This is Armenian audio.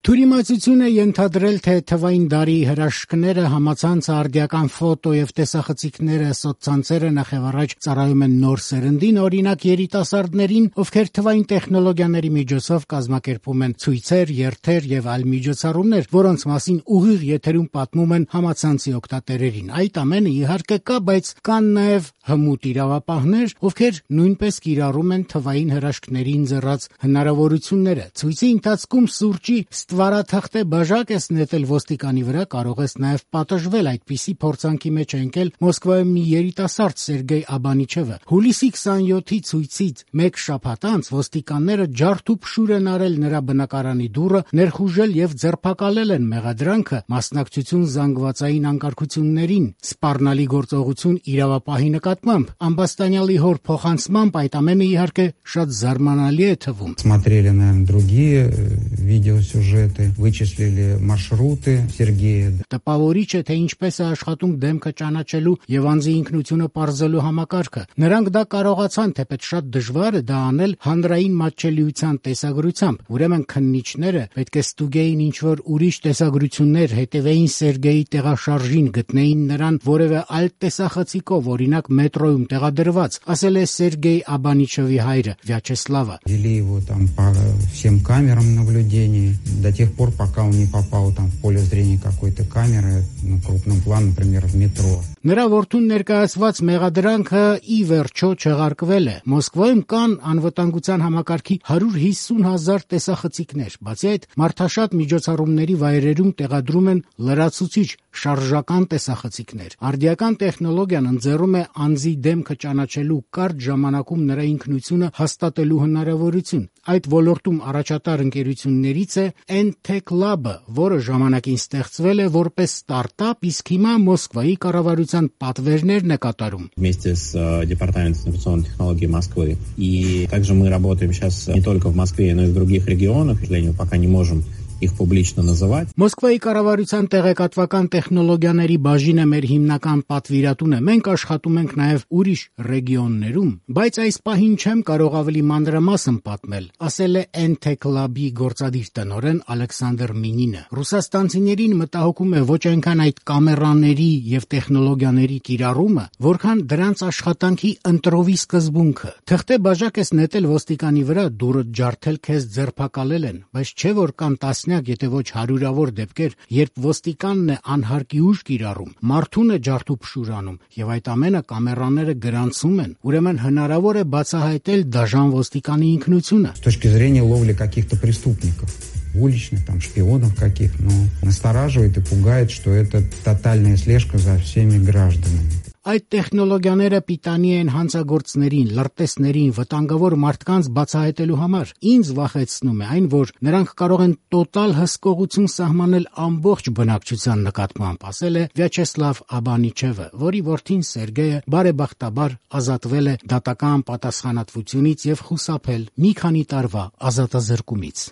Թյուրիմացություն է ենթադրել, թե թվային դարի հրաշքները, համացանցը, արդիական ֆոտո եւ տեսախցիկները, սոցցանցերը նախևառաջ ծառայում են նոր սերնդին, օրինակ երիտասարդներին, ովքեր թվային տեխնոլոգիաների միջոցով կազմակերպում են ցույցեր, երթեր եւ այլ միջոցառումներ, որոնց մասին ուղիղ եթերում պատմում են համացանցի օգտատերերին։ Այդ ամենը իհարկե կա, բայց կան նաեւ հմուտ իրավապահներ, ովքեր նույնպես կիրառում են թվային հրաշքներին ձեռած հնարավորությունները։ Ցույցի ընթացքում սուրճի ստվարաթղթե բաժակ ես նետել ոստիկանի վրա, կարող ես նաև պատժվել։ Այդպիսի փորձանքի մեջ է ընկել Մոսկվայում մի երիտասարդ Սերգեյ Աբանիչևը։ Հուլիսի 27-ի ցույցից մեկ շաբաթ անց ոստիկանները ջարդ ու փշուր են արել նրա բնակարանի դուռը, ներխուժել եւ ձերբակալել են մեղադրանքը մասնակցություն զանգվածային անկարգություններին, սպառնալի գործողություն իրավապահի նկատմամբ։ Ամբաստանյալի հոր փոխանցմամբ այդ ամենը իհարկե շատ զարմանալի է թվում։ Смотрели, наверное, другие видеосюжеты, вычислили маршруты Сергея. Տպավորիչ է, թե ինչպես է աշխատում դեմքը ճանաչելու եւ անձի ինքնությունը պարզելու համակարգը։ Նրանք դա կարողացան, թեպետ շատ դժվար է դա անել հանրային մատչելիության տեսագրությամբ։ Ուրեմն քննիչները պետք է ստուգեին ինչ-որ ուրիշ տեսագրություններ, հետևեին Սերգեյի տեղաշարժին, գտնեին նրան որևէ այլ տեսախցիկով, օրինակ մետրոյում տեղադրված, ասել է Սերգեյ Աբանիչևի հայրը Վյաչեսլավը։ Вели его там по всем камерам наблюдения до тех пор, пока он не попал там в поле зрения какой-то камеры на крупном плане, например, в метро. Նրա որդուն ներկայացված մեղադրանքը ի վերջո չեղարկվել է։ Մոսկվայում կան անվտանգության համակարգի 150,000 տեսախցիկներ։ Բացի այդ, մարդաշատ միջոցառումների վայրերում տեղադրում են լրացուցիչ շարժական տեսախցիկներ։ Արդիական տեխնոլոգիան ընձեռում է անձի դեմքը ճանաչելու կարճ ժամանակում նրա ինքնությունը հաստատելու հնարավորություն։ Այդ ոլորտում առաջատար ընկերություններից է N-Tech Lab-ը, որը ժամանակին ստեղծվել է որպես ստարտափ, իսկ հիմա Մոսկվայի կառավարության պատվերներն է կատարում։ Вместе с Департаментом информационных технологий Москвы. И также мы работаем сейчас не только в Москве, но и в других регионах. К сожалению, пока не можем их публично называть. Մոսկվայի կառավարության տեղեկատվական տեխնոլոգիաների բաժինը մեր հիմնական պատվիրատուն է։ Մենք աշխատում ենք նաև ուրիշ ռեգիոններում, բայց այս պահին չեմ կարող ավելի մանրամասն պատմել, ասել է N-Tech Lab-ի գործադիր տնօրեն Ալեքսանդր Մինինը։ Ռուսաստանցիներին մտահոգում է ոչ այնքան այդ կամերաների եւ տեխնոլոգիաների կիրառումը, որքան դրանց աշխատանքի ընտրովի սկզբունքը։ Թղթե բաժակ ես նետել ոստիկանի վրա, դուրը ջարդել քեզ ձերբակալել են, բայց չէ որ կան եթե ոչ հարյուրավոր դեպքեր, երբ ոստիկանն է անհարկի ուժ կիրառում, մարդուն է ջարդուփշուր անում եւ այդ ամենը կամերաները գրանցում են։ Ուրեմն հնարավոր է բացահայտել դաժան ոստիկանի ինքնությունը։ С точки зрения ловли каких-то преступников, уличных, там, шпионов каких, но настораживает и пугает, что это тотальная слежка за всеми гражданами. Այդ տեխնոլոգիաները պիտանի են հանցագործներին, լրտեսներին, վտանգավոր մարդկանց բացահայտելու համար։ Ինձ վախեցնում է այն, որ նրանք կարող են տոտալ հսկողություն սահմանել ամբողջ բնակչության նկատմամբ, ասել է Վյաչեսլավ Աբանիչևը, որի որդին Սերգեյը բարեբախտաբար ազատվել է դատական պատասխանատվությունից եւ խուսափել մի քանի տարվա ազատազրկումից։